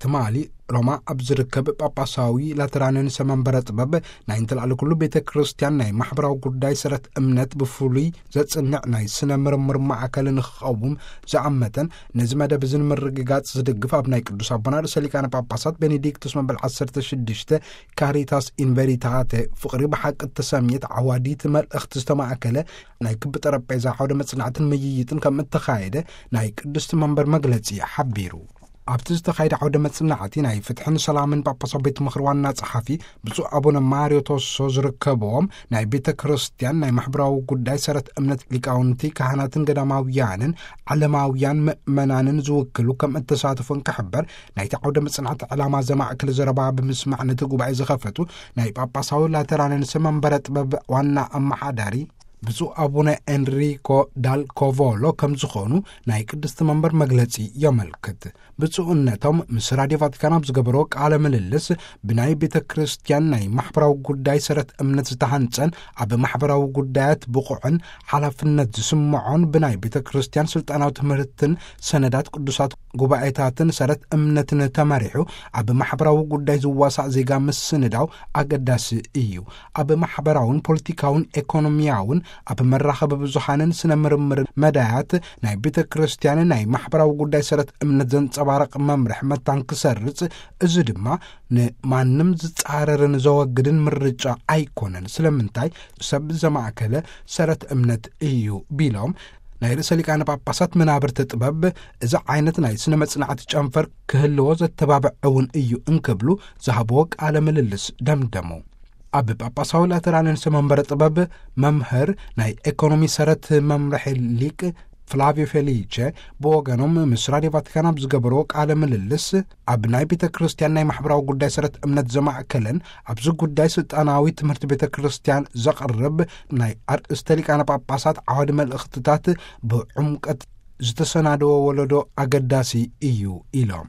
ትማሊ ሮማ ኣብ ዝርከብ ጳጳሳዊ ላተራንን ሰመንበረ ጥበብ ናይ እንተላዕሊ ኩሉ ቤተ ክርስቲያን ናይ ማሕበራዊ ጉዳይ ሰረት እምነት ብፍሉይ ዘጽንዕ ናይ ስነ ምርምር ማዕከል ንክቐውም ዝኣመተን ነዚ መደብ እዚ ንምርግጋጽ ዝድግፍ ኣብ ናይ ቅዱስ ኣቦና ርእሰ ሊቃነ ጳጳሳት ቤኔዲክቱስ መበል ዓሰርተ ሽዱሽተ ካሪታስ ኢንቨሪታተ ፍቕሪ ብሓቂ እተሰምየት ዓዋዲት መልእኽቲ ዝተማእከለ ናይ ክቢ ጠረጴዛ ዓውደ መጽናዕትን ምይይጥን ከም እተኻየደ ናይ ቅድስቲ መንበር መግለጺ ሓቢሩ። ኣብቲ ዝተኻየደ ዓውደ መጽናዕቲ ናይ ፍትሕን ሰላምን ጳጳሳዊ ቤት ምኽሪ ዋና ጸሓፊ ብፁዕ ኣቡነ ማርዮ ቶሶ ዝርከብዎም ናይ ቤተ ክርስቲያን ናይ ማሕበራዊ ጉዳይ ሰረት እምነት ሊቃውንቲ ካህናትን ገዳማውያንን ዓለማውያን ምእመናንን ዝውክሉ ከም እተሳተፉ እንክሕበር ናይቲ ዓውደ መጽናዕቲ ዕላማ ዘማእክል ዘረባ ብምስማዕ ነቲ ጉባኤ ዝኸፈቱ ናይ ጳጳሳዊ ላተራንን ሰመንበረ ጥበብ ዋና ኣመሓዳሪ ብፁዕ ኣቡነ ኤንሪኮ ዳል ኮቮሎ ከም ዝኾኑ ናይ ቅድስቲ መንበር መግለጺ የመልክት። ብፁዕነቶም ምስ ራድዮ ቫቲካን ኣብ ዝገበሮ ቃለ ምልልስ ብናይ ቤተ ክርስቲያን ናይ ማሕበራዊ ጉዳይ ሰረት እምነት ዝተሃንጸን ኣብ ማሕበራዊ ጉዳያት ብቑዕን ሓላፍነት ዝስምዖን ብናይ ቤተ ክርስቲያን ስልጣናዊ ትምህርትን ሰነዳት ቅዱሳት ጉባኤታትን ሰረት እምነትን ተመሪሑ ኣብ ማሕበራዊ ጉዳይ ዝዋሳእ ዜጋ ምስንዳው ኣገዳሲ እዩ። ኣብ ማሕበራውን ፖለቲካውን ኤኮኖሚያውን ኣብ መራኸቢ ብዙሓንን ስነ ምርምር መዳያት ናይ ቤተ ክርስቲያን ናይ ማሕበራዊ ጉዳይ ሰረት እምነት ዘንጸባረቕ መምርሕ መታን ክሰርጽ፣ እዚ ድማ ንማንም ዝጻረርን ዘወግድን ምርጫ ኣይኮነን። ስለምንታይ ሰብ ዘማእከለ ሰረት እምነት እዩ ቢሎም ናይ ርእሰ ሊቃነ ጳጳሳት መናብርቲ ጥበብ እዚ ዓይነት ናይ ስነ መጽናዕቲ ጨንፈር ክህልዎ ዘተባብዕ እውን እዩ እንክብሉ ዝሃብዎ ቃለ ምልልስ ደምደሙ። ኣብ ጳጳሳዊ ላተራንን ሰመንበረ ጥበብ መምህር ናይ ኤኮኖሚ ሰረት መምርሒ ሊቅ ፍላቪዮ ፌሊቼ ብወገኖም ምስ ራድዮ ቫቲካን ኣብ ዝገበርዎ ቃለ ምልልስ ኣብ ናይ ቤተ ክርስቲያን ናይ ማሕበራዊ ጉዳይ ሰረት እምነት ዘማእከለን ኣብዚ ጉዳይ ስልጣናዊ ትምህርቲ ቤተ ክርስቲያን ዘቕርብ ናይ ኣርእስተ ሊቃነ ጳጳሳት ዓዋዲ መልእኽትታት ብዕምቀት ዝተሰናደወ ወለዶ ኣገዳሲ እዩ ኢሎም።